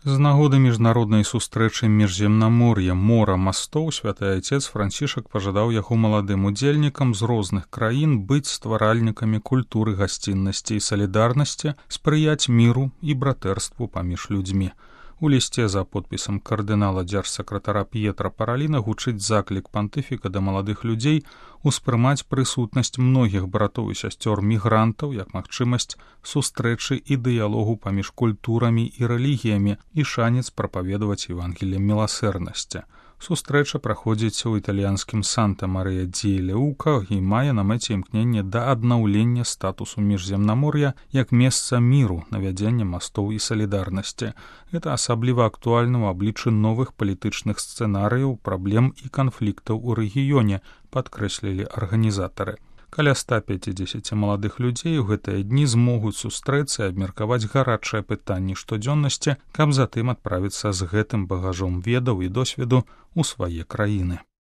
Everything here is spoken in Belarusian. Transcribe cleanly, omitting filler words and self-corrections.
З нагоды міжнароднай сустрэчы міжземнамор'я мора мастоў святы айцец Францішак пажадаў яго маладым удзельнікам з розных краін быць стваральнікамі культуры гасціннасці і салідарнасці, спрыяць міру і братэрству паміж людзьмі. У лісце за подпісам кардынала дзяржсакратара П'етра Параліна гучыць заклік пантыфіка да маладых людзей успрымаць прысутнасць многіх братоў і сясцёр мігрантаў як магчымасць сустрэчы і дыялогу паміж культурамі і рэлігіямі і шанец прапаведаваць Евангелле міласэрнасці. Сустрэча праходзіць у італьянскім Санта-Марыя-ді-Леука і мае на мэце імкненне да аднаўлення статусу міжземнамор'я як месца міру, навядзення мастоў і салідарнасці. Гэта асабліва актуальна ў абліччы новых палітычных сцэнарыяў, праблем і канфліктаў у рэгіёне, падкрэслілі арганізатары. Каля 150 маладых людзей у гэтыя дні змогуць сустрэцца і абмеркаваць гарачыя пытанні штодзённасці, каб затым адправіцца з гэтым багажом ведаў і досведу ў свае краіны.